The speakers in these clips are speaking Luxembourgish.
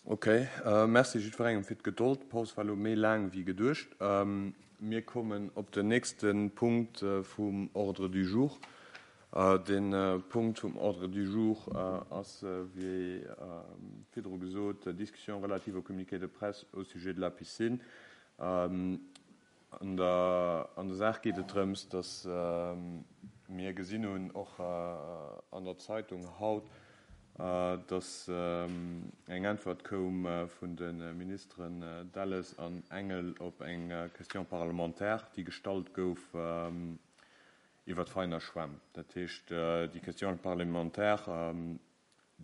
Ok, merci jiddwerengem fir d'Gedold. D'Paus war elo méi laang wéi geduecht. Mir kommen op den nächste Punkt vum Ordre du jour. Dee Punkt vum Ordre du jour ass, wéi virdru gesot, Discussion relative au communiqué de presse au sujet de la piscine. An der an der Saach geet et drëms, datt mir gesinn hunn, och an der Zeitung haut, datt eng Äntwert koum vun de Ministeren Delles an Engel op eng Question parlementaire, déi gestallt gouf iwwer d'Veiner Schwämm. Dat heescht, déi Question parlementaire,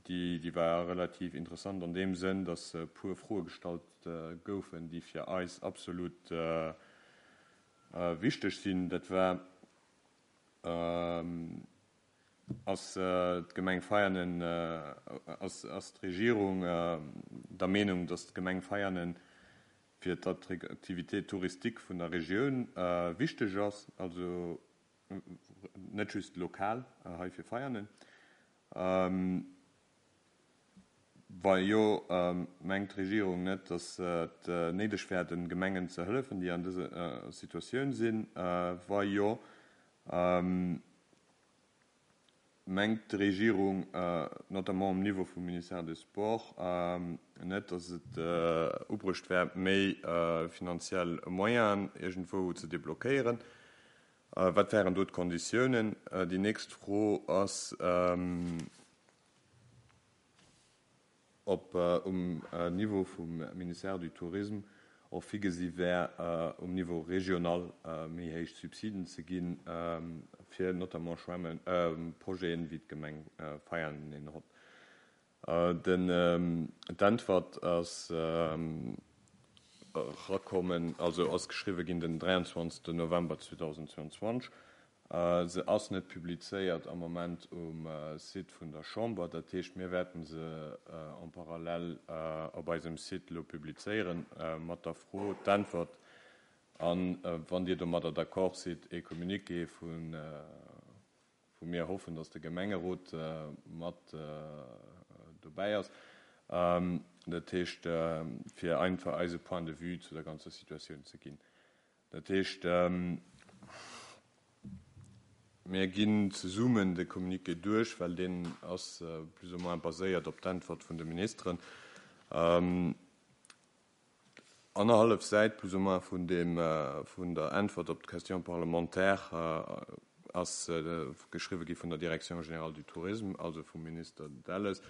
Déi war relativ interessant an deem Sënn, dass e puer Froe gestallt goufen, déi fir eis absolut wichteg sinn. Dat war, Ass d'Gemeng Veianen, ass d'Regierung der Meenung, dass d'Gemeng Veianen fir d'Attraktivité touristique vun der Regioun wichteg ass, also net just lokal hei fir Veianen? Wa jo, mengt d'Regierung net, datt et néideg wär, de Gemengen ze hëllefen, déi an dëser Situatioun sinn? Wa jo, mengt d'Regierung, notamment um Niveau vum Ministère des Sports, net, datt et ubruecht wär, méi finanziell Moyenen iergendwou ze deblockéieren? Wat wären do d'Konditiounen? Déi nächst Fro ass, ob um Niveau vum Ministère du Tourisme och virgesi wär, um Niveau régional méi héich Subsiden ze ginn, fir notamment Schwämmen, Projeten, wéi d'Gemeng Veianen een hott. D'Äntwert ass erakommen, also ass geschriwwe ginn den 23 November 2022. Se ass net publizéiert am Moment um Site vun der Chamber. Dat heescht, mir wäerte se en parallèle op eisem Site elo publizéieren, mat der Fro, d'Äntwert, an, wann Dir domadder d'accord sidd, ee Communiqué vun wou mir hoffen, dass de Gemengerot mat dobäi ass, dat heescht, fir einfach eise Point de vue zu der ganzer Situatioun ze ginn. Dat heescht, mir ginn zesummen de Communiqué duerch, well deen ass plus ou moins baséiert op d'Äntwert vun de Ministeren. Annerhallef Säit plus ou moins vun deem, vun der Äntwert op d'Question parlementaire ass geschriwwe gi vun der Direction générale du Tourisme, also vum Minister Delles,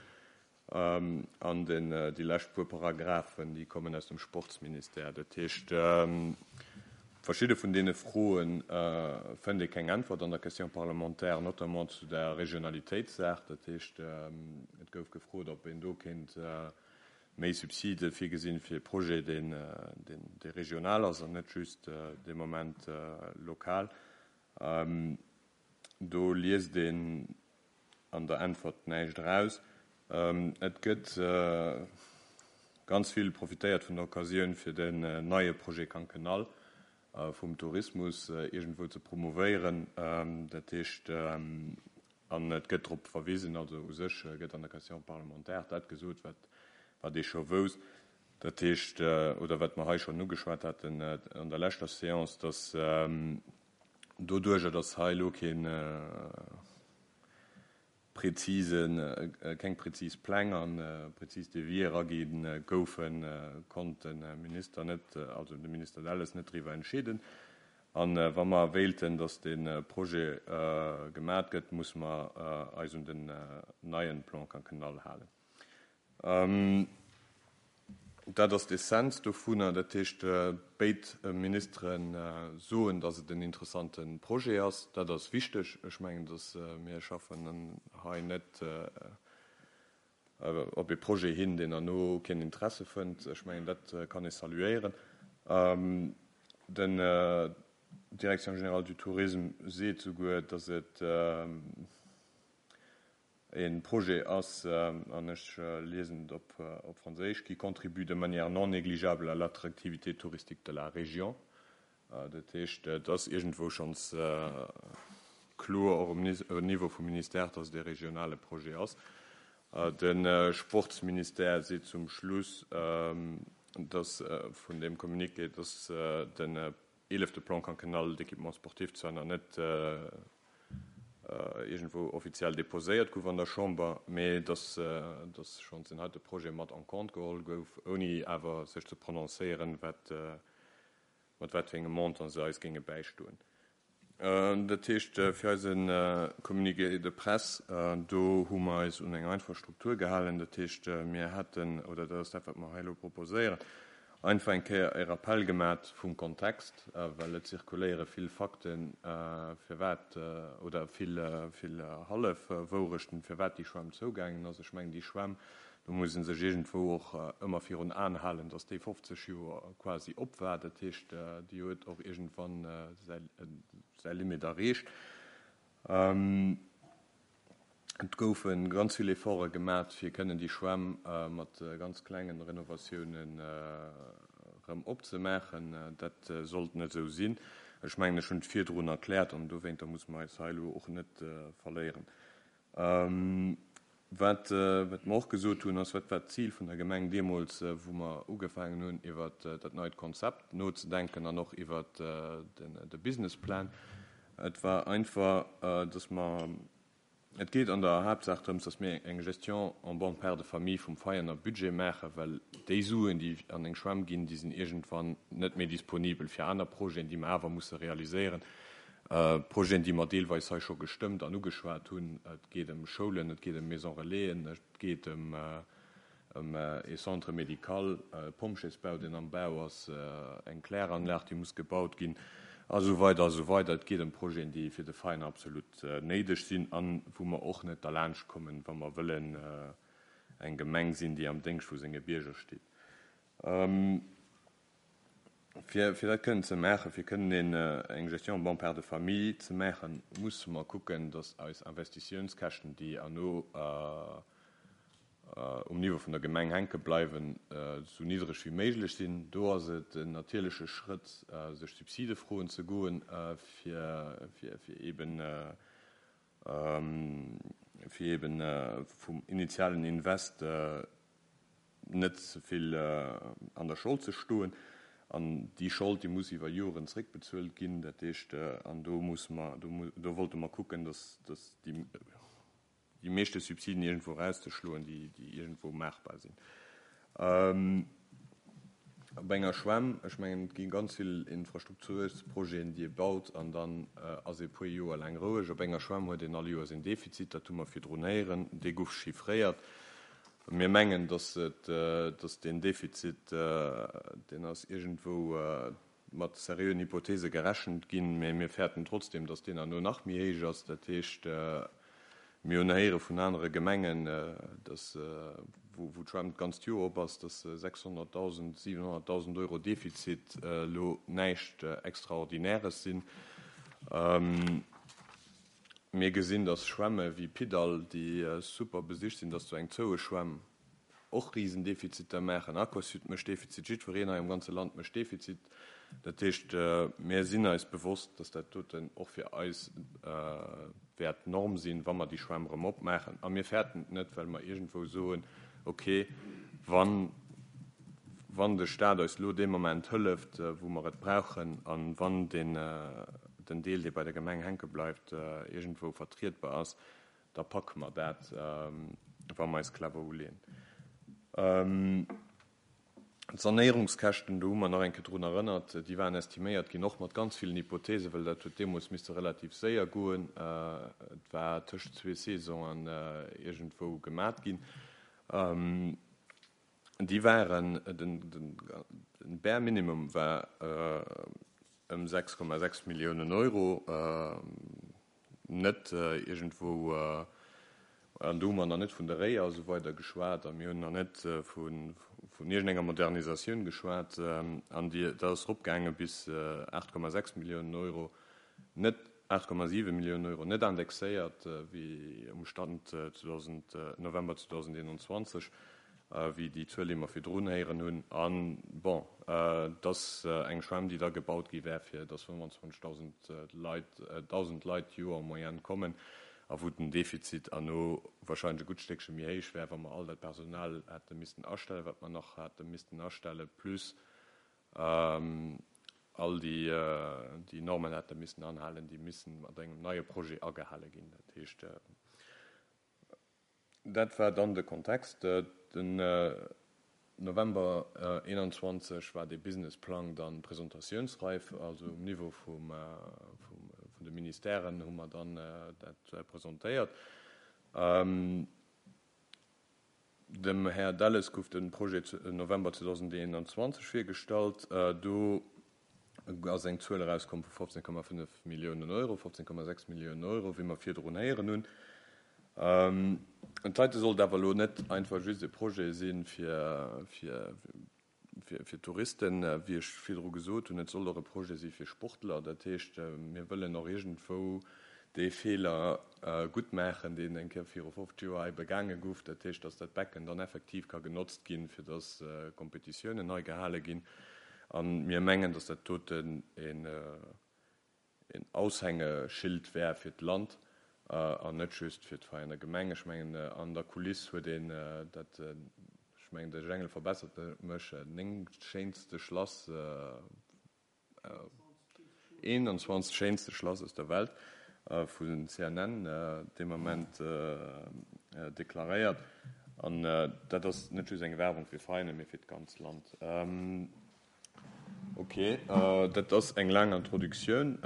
an den, déi lescht puer Paragraphen, déi kommen aus dem Sportsministère. Dat heescht, verschidde vun deene Froe fënnt ee keng Äntwert an der Question parlementaire, notamment zu der Regionalitéitssaach. Dat heescht, et gouf gefrot, ob een do kéint méi Subside virgesinn fir e Projet, deen dee regional ass an net just dee Moment lokal. Do liest een an der Äntwert näischt eraus. Et gëtt ganz vill profitéiert vun der Occasioun, fir den neie Projet Cankenal vum Tourismus iergendwou ze promouvéieren. Dat heescht, An et gëtt drop verwisen, also u sech gëtt an der Question parlementaire dat gesot, wat, wat ee scho wousst, dat heescht, oder wat mer hei schonn ugeschwat haten an der leschter Séance, dass doduerjer, dass hei elo kee prezisen, keng prezis Pläng a prezis Devis eragi goufen, konnt de Minister net, also de Minister Delles net driwwer entscheeden. A wa mer wéilten, dass dee Projet gemat gëtt, musse mer eis un den neie Plan quinquennal halen. Dat ass d'Essenz dovunner. Dat heescht, béid Ministere soen, dass et en interessante Projet ass. Dat ass wichteg. Ech mengen, dass mir schaffen hei net op ee Projet hin, deen herno keen Interesse fënnt. Ech mengen, dat kann ee saluéieren. Den Direction générale du Tourisme seet souguer, datt et e Projet ass, an ech liesen et op Franséisch, qui contribue de manière non négligeable à l'attractivité touristique de la région. Dat heescht, et ass iergendwou schonns kloer, och um Niveau vum Ministère, datt et e regionale Projet ass. De Sportsministère seet zum Schluss, dass vun deem Communiqué, dass den eelefte Plan quinquennal d'équipement sportif zwar nach net iergendwou offiziell déposéiert gouf an der Chamber, mee dass dass schonns deen heite Projet mat en compte geholl gouf, ouni awer sech ze prononcéieren, wat mat wat fir engem Montant se eis géinge bäistoen. Dat heescht, fir eise Communiqué de presse, do hu mer eis un eng einfach Struktur gehalen. Dat heescht, mir hätten, oder dat ass dat, wat mer hei elo proposéieren, einfach eng Kéier e Rappel gemat vum Kontext, well et zirkuléiere vill Fakten, firwat, oder vill, vill Hallefwourechten, firwat déi Schwämm zougaangen ass. Ech mengen, déi Schwämm, do muss ee sech iergendwou och ëmmer virun Aen halen, datt déi 50 Joer quasi op war. Dat heescht, déi huet och iergendwann säi Limit erreecht. Et goufe ganz vill Efforte gemat, fir kënnen déi Schwämm mat ganz klengen Renovatiounen erëm opzemaachen. Dat sollt net esou sinn. Ech mengen, ech hunn et virdrun erkläert an dowéinter musse mer eis hei elo och net verléieren. Wat mer och gesot hunn, ass, Wat war d'Zil vun der Gemeng deemools, wou mer ugefaangen hunn, iwwer dat neit Konzept nozedenken an och iwwer de Businessplan? Et war einfach, dass mer, et geet an der Haaptsaach drëms, dass mir eng Gestion en bon père de famille vum Veianer Budget maachen, well déi Suen, déi an eng Schwämm ginn, déi sinn iergendwann net méi disponibel fir aner Projeten, déi mer awer musse realiséieren. Projeten, déi mer deelweis hei scho gestëmmt an ugeschwat hunn. Et geet ëm Schoulen, et geet ëm Maisons relaisen, et geet ëm e Centre médical, e Pompjeesbau, deen am Bau ass, eng Kläranlag, déi muss gebaut ginn, a sou weider a sou weider. Et geet ëm Projeten, déi fir de Veräin absolut néideg sinn a wou mer och net derlaanscht kommen, wa mer wëllen eng Gemeng sinn, déi am Déngscht vu senge Bierger steet. Fir dat kënnen ze maachen, fir kënnen eng Gestion en bon père de famille ze maachen, musse mer kucken, datt eis Investitiounskäschten, déi herno um Niveau vun der Gemeng hänke bleiwen, esou niddreg wéi méiglech sinn. Do ass et en natierleche Schrëtt, sech Subside froen ze goen, fir eeben fir eeben vum initialen Invest net ze vill an der Schold ze stoen. An déi Schold, déi muss iwwer Joren zréckbezuelt ginn. Dat heescht, an do musse mer, do wollte mer kucken, dass déi déi meeschte Subsiden iergendwou erauszeschloen, déi iergendwou maachbar sinn. Op enger Schwämm, ech mengen, et gi ganz vill Infrastruktursprojeten, déi ee baut, an dann ass ee puer Joer laang roueg. Op enger Schwämm huet een all Joers een Defizit, dat hu mer virdrun héieren, dee gouf chiffréiert. Mir mengen, dass et, dass deen Defizit, deen ass iergendwou mat seriöen Hypothese gerechent ginn, mä mir fäerten trotzdem, dass deen herno nach méi héich ass. Dat heescht, mir hunn héiere vun anere Gemengen, dass, wou d'Schwämm d'ganzt Joer op ass, dass 600.000, 700.000 Euro Defizit elo näischt Extraordinäres sinn. Mir gesinn, dass Schwämme wéi Pidal, déi super besicht sinn, dass do eng zoue Schwämm och Risendefiziter maachen. Aquasud mécht Defizit, jiddwereen hei am ganze Land mécht Defizit. Dat heescht, mir sinn eis bewosst, dass dat doten och fir eis wäert d'Norm sinn, wa mer déi Schwämm erëm opmaachen. A mir fäerten et net, well mer iergendwou soen, okay, wann, wann de Stat eis elo dee Moment hëlleft, wou mer et brauchen, a wann den, den Deel, dee bei der Gemeng hänke bleift, iergendwou vertrietbar ass, Da packe mer dat, wa mer eis clever uleeën. D'Sanéierungskäschten, do hu mer nach eng Kéier drun erënnert, déi waren estiméiert ginn, och mat ganz villen Hypothesen, well dat huet deemools misste relativ séier goen. Et war tëscht zwee Saisonen iergendwou gemat ginn. Déi waren, den bare minimum war ëm 6,6 Milliounen Euro. Net iergendwou, an do hu mer nach net vun de Réier a sou weider geschwat a mir hunn nach net vun iergendenger Modernisatioun geschwat, an déi, dat ass eropgaange bis 8,6 Milliounen Euro, net 8,7 Milliounen Euro, net indexéiert, wéi um Stand 2000, November 2021. wéi déi Zuel, déi mer virdrun héieren hunn. A bon, et ass eng Schwämm, déi da gebaut gi wär, fir dass 25.000 Leit, 1.000 Leit d'Joer en moyenne kommen. A wou den Defizit herno wahrscheinlech e gutt Stéckche méi héich wär, wa mer all dat Personal hätte missten astellen, wat mer nach hätte missten astellen, plus all déi Normen hätte missen anhalen, déi missen mat engem neie Projet agehale ginn. Dat heescht, dat war dann de Kontext. Den November 21 war dee Businessplang dann presentatiounsreif, also um Niveau vum vun de Ministèren hu mer dann dat presentéiert. Dem Här Delles gouf de Projet November 2021 virgestallt. Do ass eng Zuel erauskomm vu 15,5 Milliounen Euro, 15,6 Milliounen Euro, wéi mer virdrun héieren hunn. Dat heite sollt awer elo net einfach just e Projet si fir, fir fir Touristen, wéi ech virdru gesot hunn, et sollt och e Projet si fir Sportler. Dat heescht, mir wëllen och iergendwou dee Feeler guttmaachen, deen eng Kéier viru 50 Joer hei begaange gouf, dat heescht, dass dat Becken dann effektiv ka genotzt ginn, fir dass Kompetitiounen hei gehale ginn. A mir mengen, dass dat doten een een Aushängeschild wär fir d'Land an net just fir d'Veianer Gemeng. Ech mengen, an der Kuliss huet een dat, ech mengen, de Jengel verbessert mech, néngtschéinste Schlass, 21 schéinste Schlass aus der Welt vu CNN dee Moment deklaréiert. An dat ass net just eng Werbung fir Veianen, mee fir d'ganzt Land. Ok, dat ass eng laang Introductioun,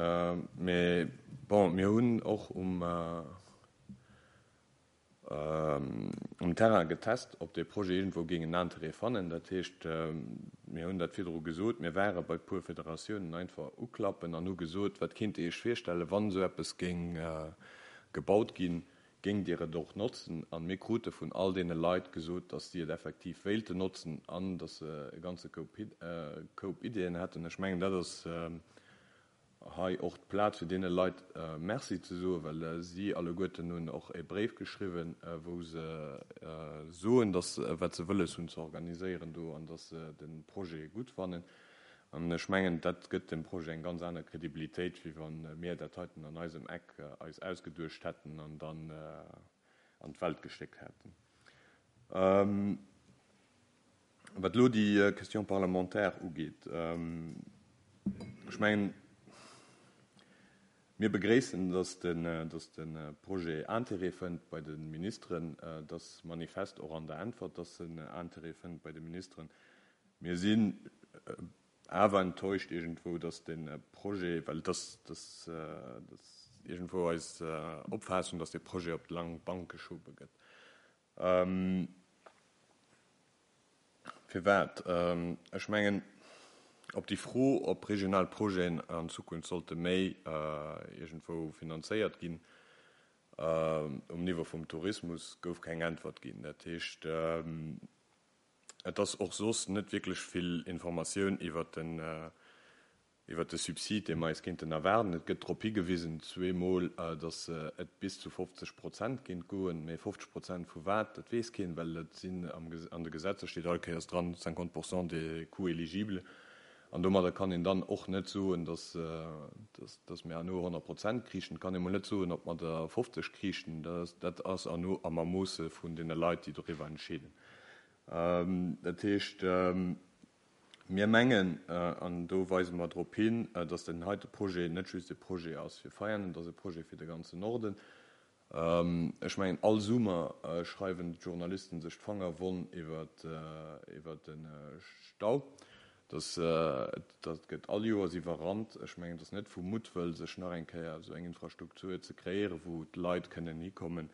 mee bon, mir hunn och um Terrain getest, ob dee Projet iergendwou géing en Interêt fannen. Dat heescht, mir hunn dat virdru gesot, mir ware bei puer Federatiounen einfach uklappen an hu gesot, wat kéint Dir Iech virstellen, wann esou eppes géing gebaut ginn? Géingt Dir et och notzen? An mir krute vun all deene Leit gesot, dass si et effektiv wéilte notzen an dass se e ganze Koup Ideeën hätten. Ech mengen, dat ass hei och d'Plaz, fir deene Leit Merci ze soen, well si alleguerten hunn och e Bréif geschriwwen, wou se soen, dass wat se wëlles hunn ze organiséieren do an dass se de Projet gutt fannen. An ech mengen, dat gëtt dem Projet eng ganz aner Kredibilitéit, wéi wa mir dat heiten an eisem Eck eis ausgeduecht hätten an dann an d'Welt geschéckt hätten. Wat elo déi Question parlementaire ugeet, ech mengen, mir begréissen, dass de Projet Intérêt fënnt bei de Ministeren. Et ass manifest och an der Äntwert, dass en Intérêt fënnt bei de Ministeren. Mir sinn awer enttäuscht iergendwou, dass de Projet, well et ass iergendwou eis Opfaassung, dass dee Projet op d'laang Bank geschobe gëtt. Firwat? Ech mengen, op déi Fro, ob regional Projeten an Zukunft sollte méi iergendwou finanzéiert ginn um Niveau vum Tourismus, gouf keng Äntwert ginn. Dat heescht, Et ass och soss net wierklech vill Informatioun iwwert den iwwert de Subsid, dee mer eis kéinten erwaarden. Et gëtt drop higewisen, zweemol, datt et bis zu 50 Prozent kéint goen. Mee 50 Prozent vu wat, dat weess keen, well et sinn am an de Gesetzer steet all Kéiers dran, 50 pour cent des coûts éligibles. An domadder kann een dann och net soen, datt datt mir herno 100 Prozent kriichen. Et kann ee mol net soen, ob mer der 50 kriichen. Dat ass herno am Ermoosse vun deene Leit, déi doriwwer entscheeden. Dat heescht, mir mengen, an do weise mer drop hin, dass deen heite Projet net just e Projet ass fir Veianen, et ass e Projet fir de ganzen Norden. Ech mengen, all Summer schreiwen d'Journalisten sech d'Fanger wonn iwwer de Stau. Dat gëtt all Joers iwwerrannt. Ech mengen, et ass net vu Muttwëll, sech nach eng Kéier esou eng Infrastruktur ze kreéieren, wou d'Leit kënnen hikommen.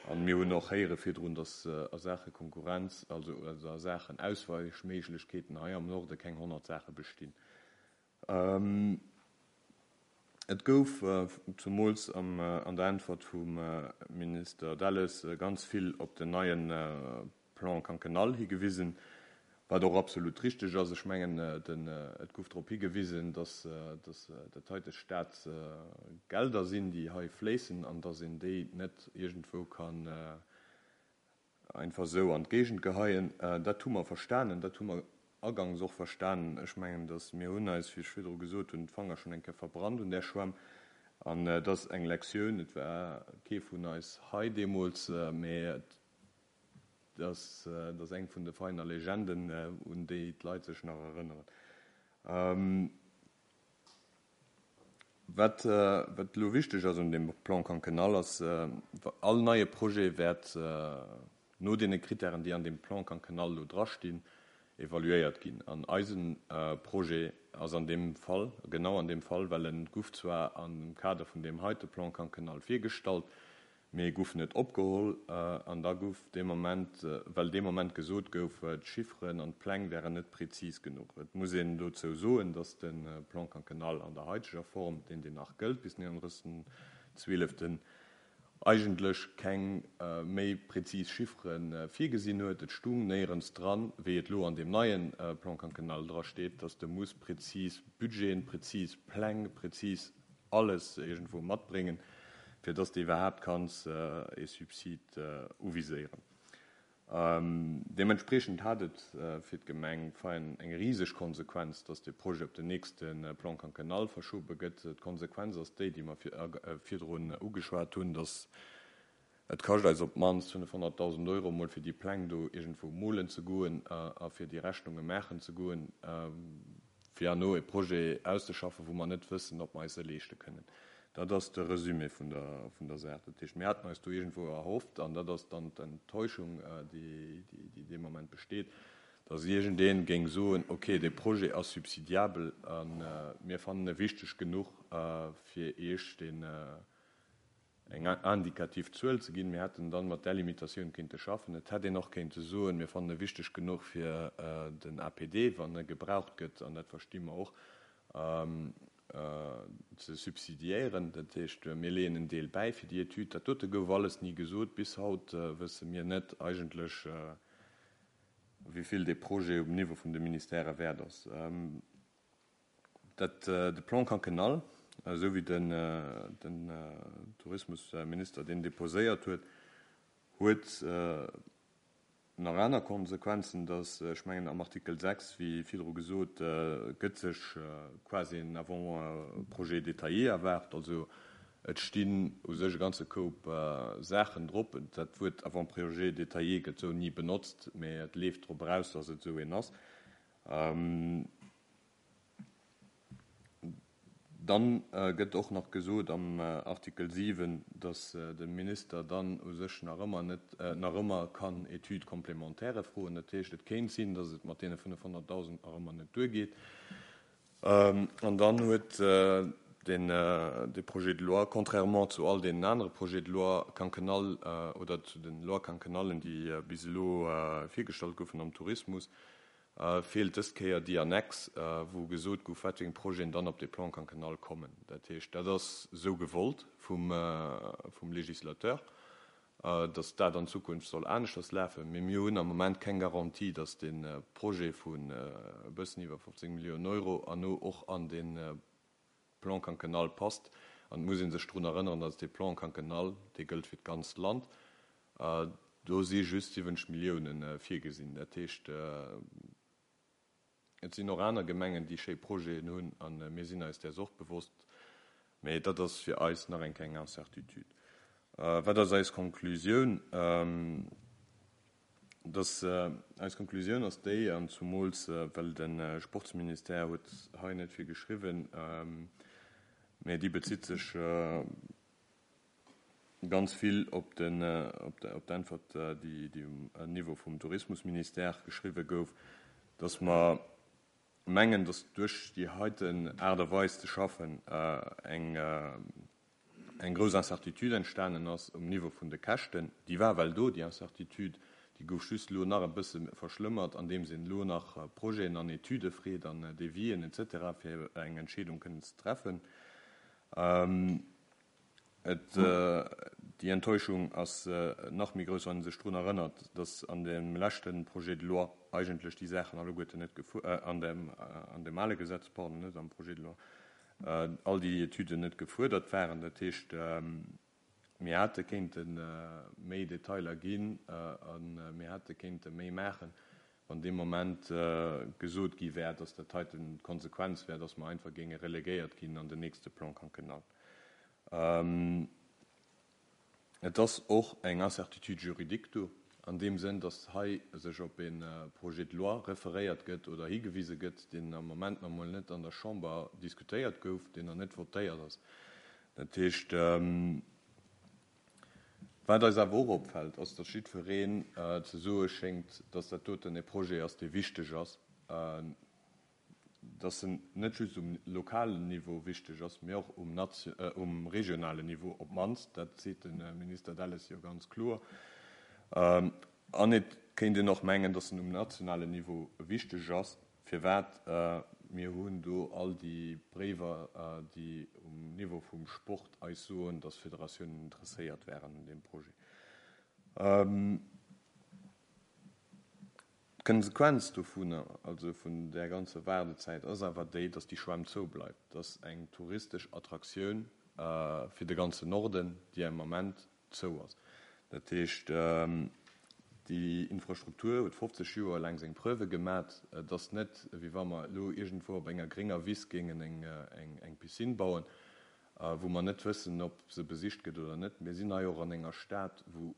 A mir hunn och héiere virdrun, datt a Saache Konkurrenz, also a Saachen Ausweichméiglechkeeten hei am Norde keng 100 Saache bestinn. Et gouf, zumools an der Äntwert vum Minister Delles, ganz vill op den neie Plan quinquennal higewisen, wat och absolut richteg ass. Ech mengen, et gouf drop higewisen, dass dat heite Staatsgelder sinn, déi hei fléissen, an dass een déi net iergendwou kann einfach esou an d'Géigend geheien. Dat hu mer verstanen, dat hu mer agangs och verstanen. Ech mengen, dass mir hunn eis, wéi ech virdru gesot hunn, d'Fanger schonn eng Kéier verbrannt un där Schwämm. An et ass eng Lektioun, et war kee vun eis hei deemools, mä et ass eng vun de Veiner Legenden, un déi d'Leit sech nach erënneren. Wat elo wichteg ass un deem Plan quinquennal ass, all neie Projet wäert no deene Kritären, déi an deem Plan quinquennal elo drastinn, evaluéiert ginn. An eise Projet ass an deem Fall, genau an deem Fall, well e guff zwar am Kader vun deem heite Plan quinquennal virgestallt, Mee e guff net opgeholl an da guff dee Moment, well dee Moment gesot gouf, d'Chifferen an d'Pläng wären net prezis genuch. Et muss een dozou soen, datt de Plan quinquennal an der haiteger Form, deen deen nach gëllt bis den 31. Zwieleften, eigentlech keng méi prezis Chiffere virgesinn huet. Et stung néierens dran, wéi et elo an deem neie Plan quinquennal drasteet, datt de muss prezis Budgeten, prezis Pläng, prezis alles iergendwou matbréngen, fir dass de iwwerhaapt kanns ee Subsid uviséieren. Deementspriechend hat et fir d'Gemeng Veien eng riseg Konsequenz, dass dee Projet op den nächste Plan quinquennal verschobe gëtt. D'Konsequenz ass déi, déi mer virdrun ugeschwat hunn, dass Et kascht eis op d'mannst 500.000 Euro emol fir déi Pläng do iergendwou molen ze goen a fir déi Rechnunge maachen ze goen, fir herno e Projet auszeschaffen, wou mer net wëssen, ob mer eis e leeschte kënnen. Dat ass de Resumé vun der Saach. Dat heescht, mir haten eis do iergendwou erhofft, an dat ass dann d'Enttäuschung, déi dee Moment besteet, dass iergendee géing soen, okay, dee Projet ass subsidiabel a mir fannen e wichteg genuch, fir Iech deen eng indikativ Zuel ze ginn. Mir hätten dann mat där Limitatioun kéinte schaffen. Et hätt een och kéinte soen, mir fannen e wichteg genuch fir den APD, wann e gebraucht gëtt, an dat versti mer och, ze subsidiéieren. Dat heescht, mir leeën en Deel bäi fir déi Etüd. Dat dote gouf alles ni gesot. Bis haut wësse mir net eigentlech, wéi vill dee Projet um Niveau vun de Ministèrë wäert ass. Dat de Plan quinquennal, esou wéi den Tourismusminister deen déposéiert huet, huet nach aner Konsequenzen, dass, ech mengen am Artikel 6, wéi virdru gesot, gëtt sech quasi en Avant-projet détaillé erwaart. Also et stinn u sech e ganze Koup Saachen drop. Dat Wuert Avant-projet détaillé gëtt esou ni benotzt, mä et leeft drop eraus, dass et esou een ass. Dann gëtt och nach gesot am Artikel 7, dass de Minister dann u sech nach ëmmer net, nach ëmmer kann Études complémentaires froen. Dat heescht, et kéint sinn, dass et mat deene 500.000 nach ëmmer net duergeet. An dann huet deen, dee Projet de loi, contrairement zu all deenen anere Projets de loi quinquennal oder zu den Lois quinquennalen, déi bis elo virgestallt goufen am Tourismus, feelt dës Kéier déi Annex, wou gesot gouf, wat fir eng Projeten dann op dee Plan quinquennal kommen. Dat heescht, dat ass esou gewollt vum Législateur, dass dat an Zukunft soll aneschters lafen. Mee mir hunn am Moment keng Garantie, dass dee Projet vun e bëssen iwwer 15 Milliounen Euro herno och an dee Plan quinquennal passt. An et muss ee sech drun erënneren, dass dee Plan quinquennal, dee gëllt fir d'ganzt Land, do si just 70 Milliounen virgesinn. Dat heescht, et sinn och aner Gemengen, déi schéi Projeten hunn, a mir sinn eis däers och bewosst. Mee dat ass fir eis nach eng kleng Incertitude. Wat ass eis Konklusioun? Dass eis Konklusioun ass déi, an zumools well de Sportsministère huet hei net vill geschriwwen, mä déi bezitt sech ganz vill op d'Äntwert, déi um Niveau vum Tourismusministère geschriwwe gouf, dass mer mengen, dass duerch déi heiten Aart a Weis ze schaffen eng eng grouss Incertitude entstanen ass um Niveau vun de Käschten. Déi war well do, déi Incertitude, déi gouf just elo nach e bësse verschlëmmert, andeems een elo nach Projeten an Etüde freet an Devisen et cetera, fir eng Entscheedung kënnen ze treffen. Et, déi Enttäuschung ass nach méi grouss, wann ee sech drun erënnert, dass an deem leschte Projet de loi eigentlech déi Saachen alleguerten net gefu-, an dem, an deem ale Gesetz, pardon, net am Projet de loi, all déi Etüden net gefuerdert waren. Dat heescht, mir hätte kéinte méi Detailer ginn a mir hätte kéinte méi maachen, wann dee Moment gesot gi wär, dass dat heiten d'Konsequenz wär, dass mer einfach géinge relegéiert ginn an den nächste Plan quinquennal. Et ass och eng Incertitude juridique do, an deem Sënn, dass hei sech op e Projet de loi referéiert gëtt oder higewise gëtt, deen am Moment nach emol net an der Chamber diskutéiert gouf, deen nach net votéiert ass. Dat heescht, wat eis awer och opfält, ass, dass jiddwereen ze soe schéngt, dass dat doten e Projet ass, dee wichteg ass. dass en net just um lokalen Niveau wichteg ass, mee och um regionalen Niveau op d'mannst. Dat seet de Minister Delles jo ganz kloer. An et kéint een och mengen, dass en um nationalen Niveau wichteg ass. Firwat? Mir hunn do all déi Bréiwer, déi um Niveau vum Sport eis soen, dass Federatiounen interesséiert wären un deem Projet. D'Konsequenz dovunner, also vun där ganzer Waardezäit, ass awer déi, dass déi Schwämm zou bleift. Et ass eng touristesch Attraktioun fir de ganzen Norden, déi am Ament zou ass. Dat heescht, déi Infrastruktur huet 50 Joer laang seng Preuve gemat. Et ass net, wéi wa mer elo iergendwou op enger grénger Wiss géingen eng Piscine bauen. wou mer net wëssen, ob se besicht gëtt oder net. Mir sinn hei och an enger Stad, wou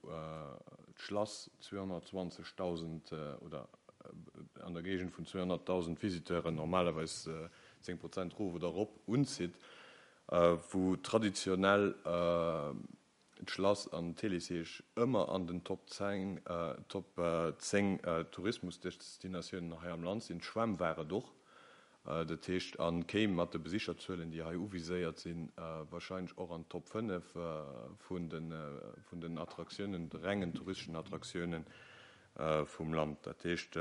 d'Schlass 220.000 oder an der Géigend vun 200.000 Visiteuren, normalerweis 10 Prozent erof oder erop, unzitt, wou traditionell d'Schlass an den Télésiège ëmmer an den Top 10, Top 10 Tourismusdestinatiounen hei am Land sinn. D'Schwämm war et och. Dat heescht, a kéim mat de Besicherzuelen, déi hei uviséiert sinn, wahrscheinlech och an d'Top 5 vun de vun den Attraktiounen, de rengen touristeschen Attraktiounen vum Land. Dat heescht,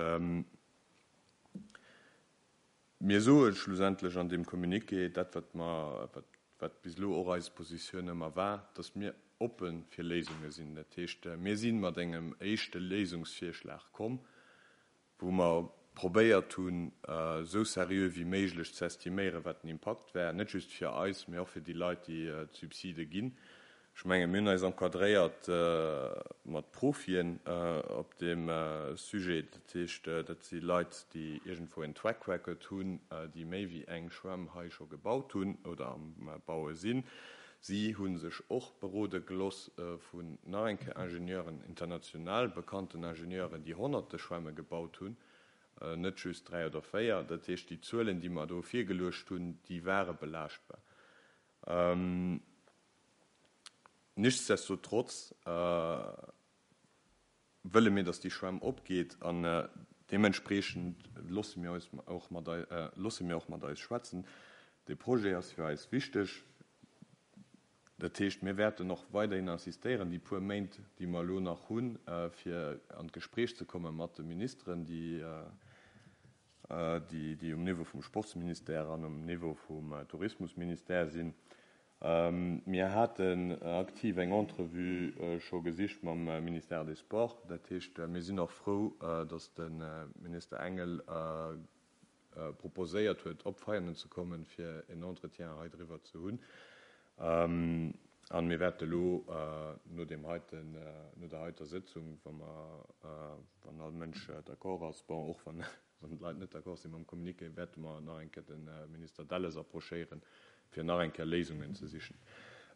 Mir soe schlussendlech an deem Communiqué dat, wat mer, wat bis elo och eis Positioun ëmmer war, dass mir oppe fir Léisunge sinn. Dat heescht, mir si mat engem éischte Léisungsvirschlag komm, wou mer probéiert hunn, esou seriö wéi méiglech ze estiméieren, wat den Impakt wär, net just fir eis, mä och fir déi Leit, déi d'Subside ginn. Ech menge mir hunn eis encadréiert mat Profien op deem Sujet. Dat heescht, dat si Leit, déi iergendwou en Track Record hunn, déi méi wéi eng Schwämm hei scho gebaut hunn oder am Baue sinn. Si hu sech och berode geloss vun nach eng Kéier Ingenieuren, international bekannten Ingenieuren, déi honnerte Schwämme gebaut hunn, net just 3 oder 4. Dat heescht, déi Zuelen, déi mer do virgeluecht hunn, déi ware belaaschtbar. Nichtsdestotrotz wëlle mir, dass déi Schwämm opgeet an deementspreechend loosse mir eis och mat loosse mir och mat eis schwätzen. Dee Projet ass fir eis wichteg. Dat heescht, mir wäerten och weiderhin insistéieren, déi puer Méint, déi mer elo nach hunn, fir an d'Gespréich ze komme mat de Ministeren, déi déi um Niveau vum Sportsministère an um Niveau vum Tourismusministère sinn. Mir haten aktiv eng Entrevue scho gesicht mam Ministère des Sports. Dat heescht, mir sinn och frou, datt de Minister Engel proposéiert huet, op Veianen ze kommen, fir en Entretien hei driwwer ze hunn. A mir wäerte elo no deem heiten, no der heiter Sëtzung, wa mer, wann all Mënsch d'accord ass, bon, och wann Wann d'Leit net d'accord si mam Communiqué, wäerte mer nach eng Kéier de Minister Delles approchéieren, fir nach eng Kéier Léisungen ze sichen.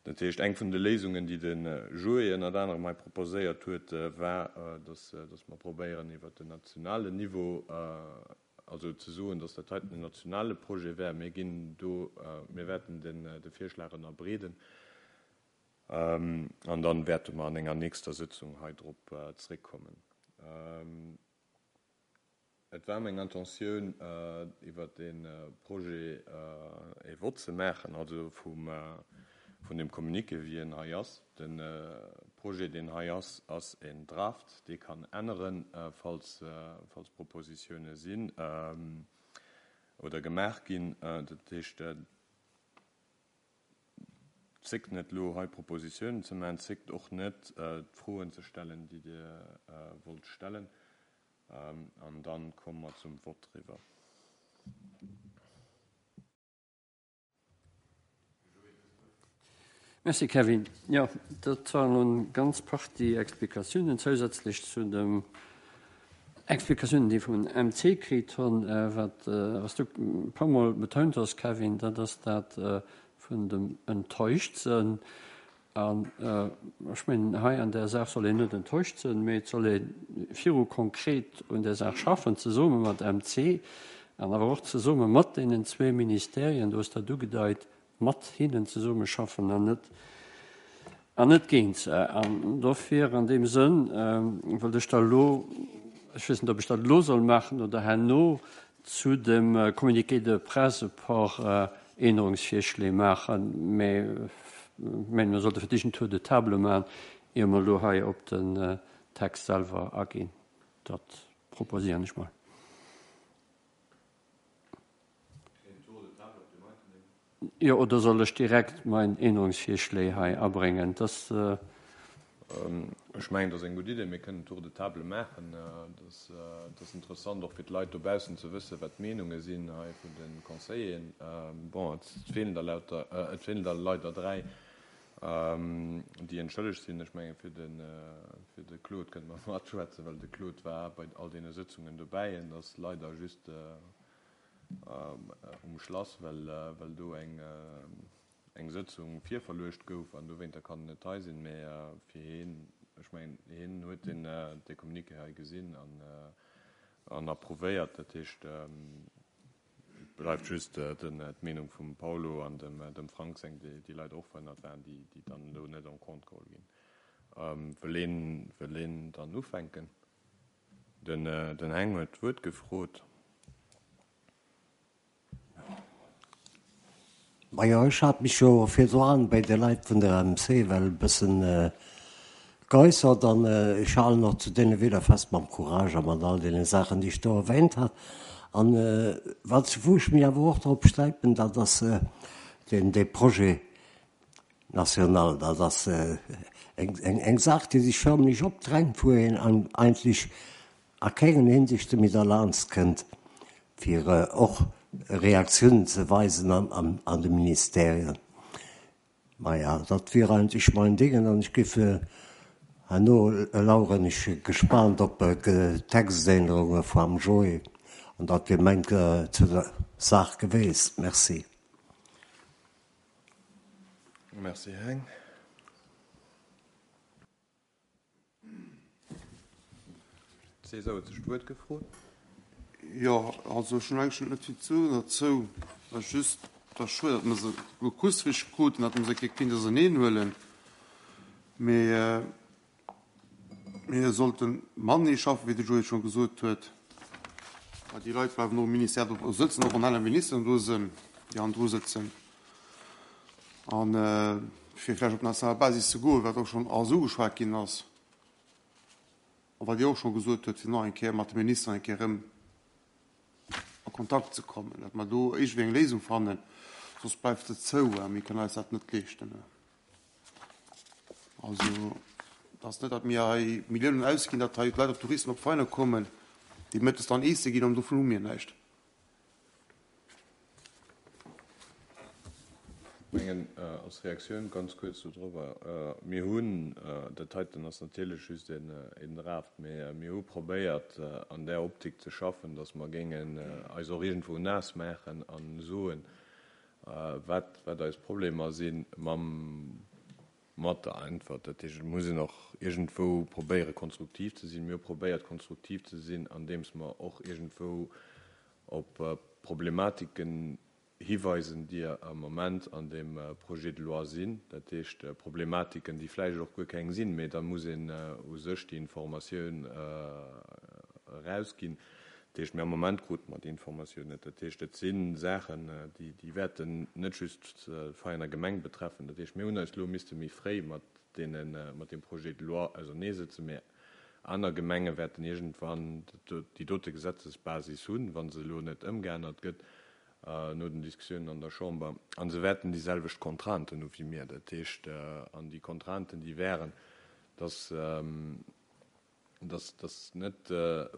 Dat heescht, eng vun de Léisungen, déi de Joé ënnert anerem hei proposéiert huet, war, dass, dass mer probéieren, iwwert den nationalen Niveau, also ze soen, dass dat heiten en nationale Projet wär. Mir ginn do, mir wäerten den, de Virschlag ënnerbreeden an dann wäerte mer an enger nächster Sëtzung hei drop zréckkommen. Et war meng Intentioun, iwwert dee Projet e Vott ze maachen, also vum, vun deem Communiqué, wéi en hei ass. De Projet, deen hei ass, ass en Draft, dee kann änneren, falls, falls Propositione sinn oder gemaach ginn. Dat heescht, zéckt net, elo hei Propositiounen ze maachen, zéckt och net, d'Froen ze stellen, déi Dir wollt stellen. An da komme mer zum Vott eriwwer. Merci, Kevin. Jo, dat waren elo eng ganz Partie Explikatiounen zousätzlech zu den Explikatiounen, déi vum MC kritt hunn. Wat, was du e puermol betount hues, Kevin, dat ass dat. vun dem Enttäuscht-Sënn. An ech mengen, hei an där Saach soll een net enttäuscht sinn, mee et soll ee viru konkret un där Saach schaffen, zesumme mat MC an awer och zesumme mat deenen zwee Ministerien, du hues dat ugedeit, mat hinnen zesumme schaffen an net an net géint se. An dofir an deem Sënn wëllt ech da elo, ech weess net, ob ech dat elo soll maachen oder herno, zu dem Communiqué de presse e par Ännerungsvirschléi maachen, mä ech mengen, mir sollte fir d'éischt en Tour de table maachen, ier mer elo hei op den Text selwer aginn. Dat proposéieren ech mol. Jo, oder soll ech direkt mein Ännerungsvirschléi hei abréngen? Dass. Ech mengen, dat ass eng gutt Idee. Mir kënnen en Tour de table maachen. Dat ass interessant och fir d'Leit dobaussen ze wëssen, wat d'Meenunge sinn hei vun de Conseilleren. Bon, et feelen der lauter, et feelen der leider dräi, déi entschëllegt sinn. Ech menge fir de, fir de Claude kënne mer matschwätzen, well de Claude war bei all deene Sëtzungen dobäi. En ass leider just um Schlass, well do eng Sëtzung virverluecht gouf an dowéinter kann en net hei sinn. Mä fir hien, ech mengen, hien huet deen, dee Communiqué hei gesinn an approuvéiert. Dat heescht, et bleift just d'Meenung vum Paulo an dem Frank seng, déi leider och verhënnert waren, déi dann elo net en compte geholl ginn. Wëll een, wëll een dann ufänken? Den Heng huet d'Wuert gefrot. Majo, ech hat mech jo virdran bei de Leit vun der MC well e bëssen geäussert an ech halen och zu deene Wieder fest mam Courage a mat all deene Saachen, déi ech do erwähnt hat. An wat, wou ech mech awer och drop stäipen, dat ass deen, dee Projet national, dat ass eng Saach, déi sech förmlech opdrängt, wou een eigentlech a kengen Hinsichte méi derlaanscht kënnt, fir och Reaktiounen ze weisen an de Ministerien. Maja, dat wier eigentlech mein Dingen an ech géif herno laueren ech gespaant op Textännerunge vum Joé an dat wier meng zu der Saach geweest. Merci. Merci Heng. César huet sech d'Wuert gefrot. Jo, also ech hunn eigentlech net vill ze soen dozou. Just, et ass schued, datt mer se elo kuerzfristeg kruten, datt mer se kéint auserneen huelen. Mee Mir sollte matenee schaffen, wéi de Joé scho gesot huet. Well déi Leit bleiwen och um Ministère do sëtzen, och wann aner Ministeren do sënn, déi hannendru sëtzen. A fir vläicht op nationaler Basis ze goen, wat och schonn alles ugeschwat ginn ass a wat Dir och scho gesot hutt, fir nach eng Kéier mat de Ministeren eng Kéier erëm a Kontakt ze kommen, datt mer do iergendwéi eng Léisung fannen, soss bleift et zou a mir kënnen eis dat net leeschten. Also, et ass net, datt mir hei Milliounen ausginn, datt hei d'Leit op Touristen op Veiner kommen, déi mëttes dann eesse ginn an dovun hu mir näischt. Ech mengen, als Reaktioun ganz kuerz dodrobber, Mir hunn, dat heiten ass natierlech just en Draft, mä mir hu probéiert an där Optik ze schaffen, datt mer géingen eis och iergendwou naass maachen a soen, wat wat eis Problemer si mam mat der Äntwert. Dat heescht, et muss een och iergendwou probéiere konstruktiv ze sinn. Mir hu probéiert konstruktiv ze sinn, andeems mer och iergendwou op Problematiken hiweisen, déi am Moment an deem Projet de loi sinn. Dat heescht, Problematiken, déi vläicht och guer keng sinn, mä da muss een u sech déi Informatioun erausginn. Dat heescht, mee am Moment krute mer déi Informatioun net. Dat heescht, et si Saachen, déi wäerten net just d'Veianer Gemeng betreffen. Dat heescht, mir hunn eis elo misste méi fréi mat deene, mat deem Projet de loi auserneesëtzen, mee aner Gemenge wäerten iergendwann déi dote Gesetzesbasis hunn, wa se elo net ëmgeännert gëtt no den Diskussiounen an der Chamber, a se wäerten déi selwecht Contrainten hu wéi mir. Dat heescht, an déi Contrainten, déi wären, dass, dass dass net,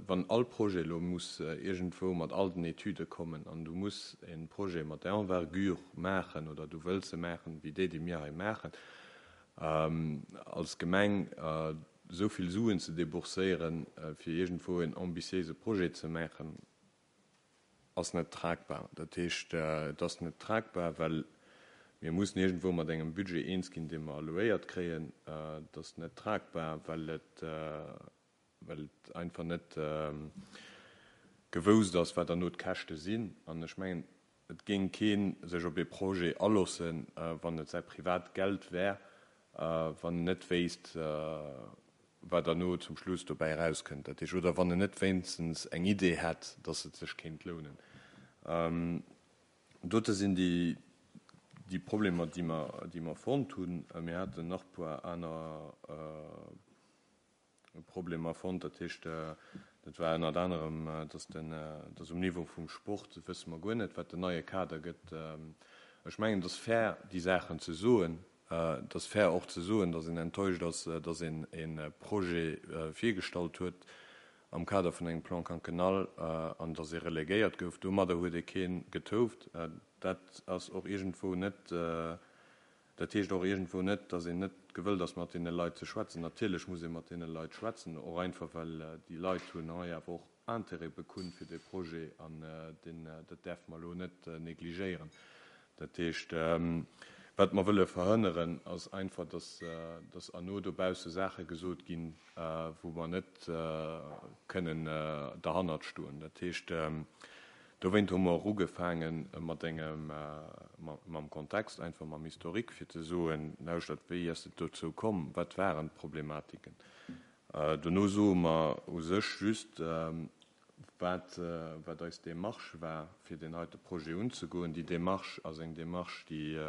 wann all Projet elo muss iergendwou mat all den Etüde kommen an du muss e Projet mat där Envergure maachen oder du wëlls e maachen, wéi déi, déi mir hei maachen, als Gemeng esou vill Suen ze débourséieren, fir iergendwou en ambitiéise Projet ze maachen, ass net tragbar. Dat heescht, et ass net tragbar, well. Mir mussen iergendwou mat engem Budget eens ginn, dee mer allouéiert kréien. Dat ass net tragbar, well et, well et einfach net gewousst ass, wat herno d'Käschte sinn. An ech mengen, et géing kee sech op ee Projet aloossen, wann et säi privat Geld wär, wann en net wéisst, wat herno zum Schluss dobäi erauskënnt. Dat heescht, oder wann en net wéinstens eng Idee hätt, dass et sech kéint lounen. Dote sinn déi, déi Problemer, déi mer, déi mer fonnt hunn. Mir haten nach e puer aner Problemer fonnt. Dat heescht, dat war ënnert anerem, dass den, dass um Niveau vum Sport wësse mer guer net, wat den neie Kader gëtt. Ech mengen, et ass fair, déi Saachen ze soen. Et ass fair och ze soen, dass een enttäuscht ass, dass een e Projet virgestallt huet am Kader vun engem Plan quinquennal an dass ee relegéiert gouf. Domadder huet ee kee getouft. Dat ass och iergendwou net, dat heescht och iergendwou net, dass een net gewëllt ass, mat deene Leit ze schwätzen. Natierlech muss ee mat deene Leit schwätzen, och einfach well déi Leit hunn hei awer och Intérêt bekunn fir dee Projet an deen, dat däerfe mer elo net négligéieren. Dat heescht, wat mer wëlle verhënneren, ass einfach, dass, dass herno dobausse Saache gesot ginn, wou mer net kënnen derhannert stoen. Dat heescht, dowéint hu mer och ugefaange mat engem, mam Kontext, einfach mam Historique, fir ze soen, Lauschtert, wéi ass et dozou komm, wat waren d'Problematiken? Dono soe mer u sech just, wat, wat eis Démarche war, fir deen heite Projet unzegoen. Déi Démarche ass eng Démarche, déi,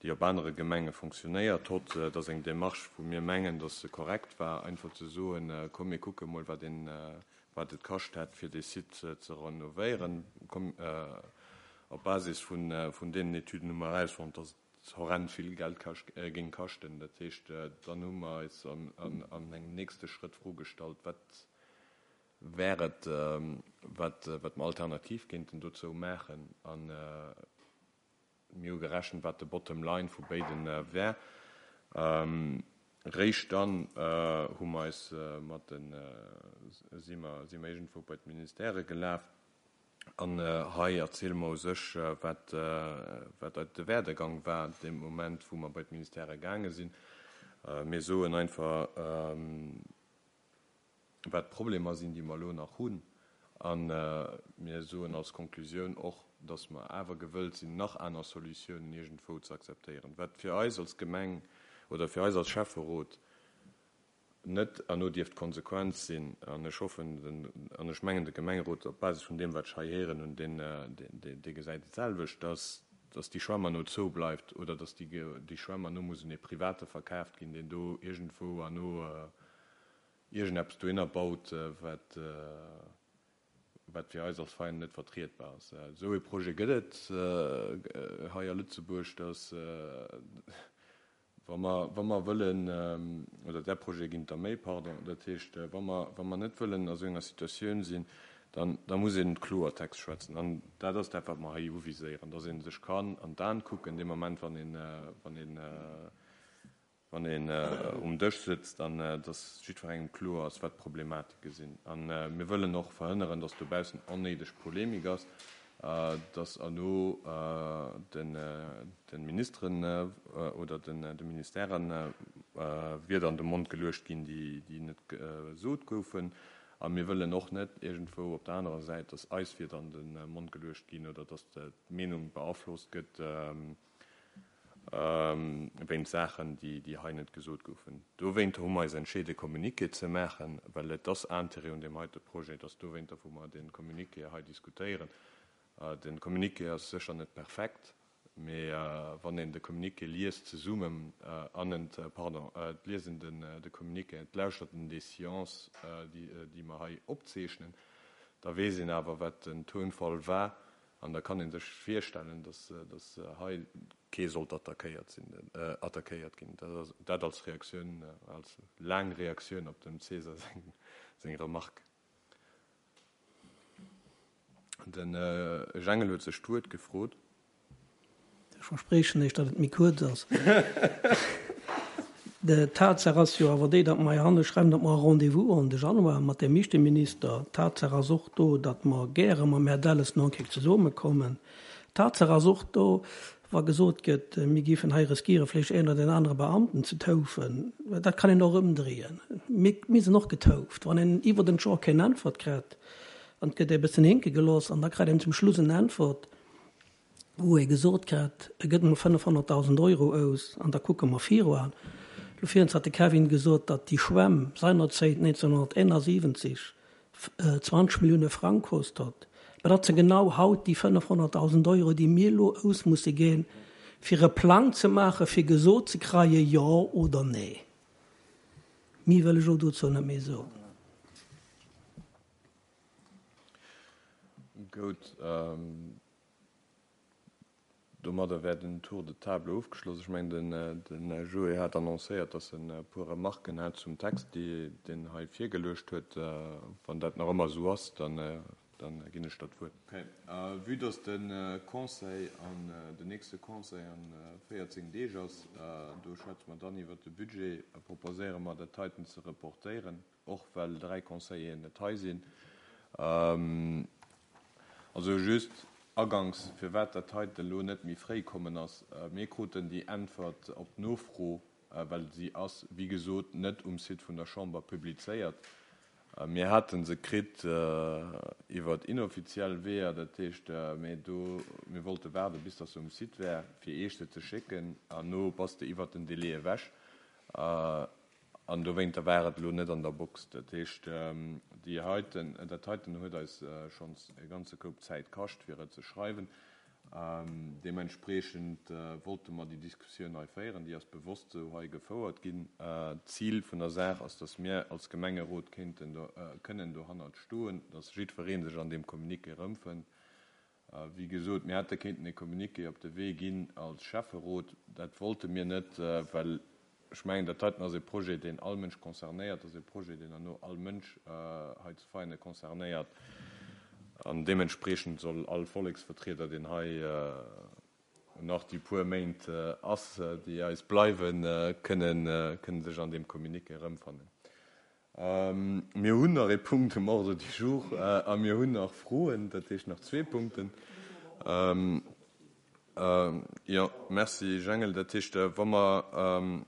déi op anere Gemenge fonctionnéiert hott. Et ass eng Démarche, wou mir mengen, dass se korrekt war, einfach ze soen, Komm, mir kucke mol, wat een, wat et kascht hätt, fir dee Site ze renovéieren. Komm, op Basis vun, vun deenen Etüden hu mer erausfonnt, dass et horrend vill Geld kascht, géing kaschten. Dat heescht, dann hu mer eis an, an engem nächste Schrëtt d'Fro gestallt, Wat wär et, wat, wat mer alternativ kéinten dozou maachen? A mir hu gerechent, wat de Bottom line vu béiden wär. Réischt dann hu mer eis mat de, si mer, si mer iergendwou bei d'Ministèrë gelaf. An hei erziele mer u sech, wat, wat de Werdegang war dee Moment, wou mer bei d'Ministèrë gaange sinn. Mir soen einfach, wat d'Problemer sinn, déi mer elo nach hunn. A mir soen als Konklusioun och, dass mer awer gewëllt sinn, nach aner Solutiounen iergendwou ze akzeptéieren, wat fir eis als Gemeng oder fir eis als Schäfferot net erno dierft d'Konsequenz sinn, an ech hoffen den, an ech mengen de Gemengerot op Basis vun deem wat ech hei héieren hunn, deen, dee gesäit et d'selwecht, dass, dass déi Schwämm erno zou bleift oder dass déi, déi Schwämm erno muss un ee Private verkaaft ginn, deen do iergendwou erno iergendeppes dohinner baut, wat, wat fir eis als Veräin net vertrietbar ass. Esou ee Projet gëtt et hei a Lëtzebuerg, dass, wa mer, wa mer wëllen, oder där Projete ginn et der méi, pardon, dat heescht, wa mer, wa mer net wëllen a sou enger Situatioun sinn, dann, da muss een Kloertext schwätzen. An dat ass dat, wat mer hei uviséieren, dass ee sech kann an d'Aen kucken dee Moment, wann een, wann een, wann een um Dësch sëtzt an dass jiddwerengem kloer ass, wat d'Problematike sinn. A mir wëllen och verhënneren, dass dobaussen onnéideg Polemik ass, dass herno de Ministeren oder de Ministèren Wierder an de Mond geluecht ginn, déi net gesot goufen. A mir wëllen och net iergendwou op der anerer Säit, dass eis Wierder an de Mond geluecht ginn oder dass d'Meenung beaflosst gëtt wéint Saachen, déi hei net gesot goufen. Dowéinter hu mer eis entscheet, e Communiqué ze maachen, well et ass Intérêt un deem heite Projet. Et ass dowéinter, wou mer dee Communiqué hei diskutéieren. De Communiqué ass sécher net perfekt, mee wann een de Communiqué liest zesummen an en, pardon, et liest een de Communiqué, et lauschtert en déi Séance, déi mer hei opzeechnen, da weess een awer, wat den Tounfall war An da kann ee sech virstellen, datt hei kee sollt attackéiert sinn, attackéiert ginn. Dat als Reaktioun, als laang Reaktioun op dem César seng Remarque. De Jengel huet sech d'Wuert gefrot. Ech verspriechen Iech, datt et méi kuerz ass. D'Tatsaach ass jo awer déi, datt mer heihanne schreiwen, datt mer e Rendez-vous hunn de Januar mat dem Mischteminister. D'Tatsaach ass och do, datt mer gäre mam Här Delles nach eng Kéier zesummekommen. D'Tatsaach ass och do, Wa gesot gëtt, mir géifen hei riskiere vläicht een oder deen anere Beamten ze toufen, dat kann een och ëmdréien. Mir, mir sinn och getouft. Wann een iwwert en Joer keng Äntwert kritt an et gëtt ee bëssen hinke gelooss an da kritt een zum Schluss en Äntwert, wou ee gesot kritt, e gëtt emol 500.000 Euro aus an da kucke mer viruan. Elo virens hat de Kevin gesot, datt déi Schwämm seinerzäit 1971 20 Millioune Frang kost hott. Mä dat sinn genau haut déi 500.000 Euro, déi mir elo aus musse ginn, fir e Plang ze maachen, fir gesot ze kreie jo oder nee. Méi wëll ech elo dozou net méi soen. Gout. Domadder wär den Tour de table ofgeschloss. Ech mengen, de Joé hat annoncéiert, dass en e puer Remarken hätt zum Text, deen hei virgeluecht huet. Wann dat nach ëmmer esou ass, da ginn ech der d'Wuert. Okay. Vue dass de Conseil an, den nächste Conseil a 14 Deeg ass, do schwätze mer dann iwwert de Budget, proposéiere mer, dat heiten ze reportéieren. Och well 3 Conseilleren net hei sinn. Also just aganks, firwat dat heite elo net méi fréi kommen ass. Mir kruten déi Äntwert op d'Nofro, well si ass, wéi gesot, net um Site vun der Chamber publizéiert. Mir hate se kritt iwwer inoffiziell Weeër, dat heescht, mä do, mir wollte waarde bis datt se um Site wär, fir Iech se ze schécken. An no bass de iwwert den Délai ewech. An dowéinter war et elo net an der Box. Dat heescht, déi heiten, dat heiten huet eis schonns e ganze Koup Zäit kascht, fir et ze schreiwen. Deementspreechend wollte mer déi Diskussioun hei féieren. Déi ass bewosst esou hei gefouert ginn. D'Zil vun der Saach ass, dass mir als Gemengerot kéinten do, kënnen dohannert stoen, dass jiddweree sech an deem Communiqué erëmfënnt. Wéi gesot, mir hätte kéinten e Communiqué op de Wee ginn als Schäfferot. Dat wollte mir net, well ech mengen, dat heiten ass e Projet, deen all Mënsch concernéiert, ass e Projet, deen herno all Mënsch hei zu Veianen concernéiert. An deementspreechend soll all Volleksvertrieder, deen hei nach déi puer Méint ass, déi eis bleiwen, kënnen sech an deem Communiqué erëmfannen. Mir hunn nach ee Punkt um Ordre du jour a mir hunn nach Froen, dat heescht nach zwee Punkten. Jo, merci Jangel. Dat heescht, wa mer,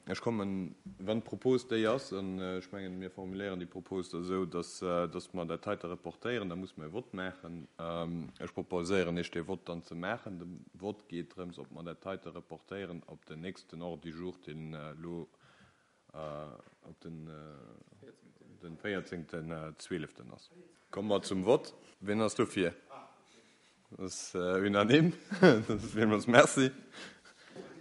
ech kommen, wann d'Propos déi ass, an ech mengen, mir formuléieren déi Propos da esou, dass, dass mer dat heite reportéieren, da muss mer e Vott maachen. Ech proposéieren Iech, dee Vott dann ze maachen. De Vott geet drëms, ob mer dat heite reportéieren op den nächsten Ordre du jour, deen elo Op den 14. 12. Ass. Komme mer zum Vott. Wien ass dofir? Dat ass unanime. Villmools Merci.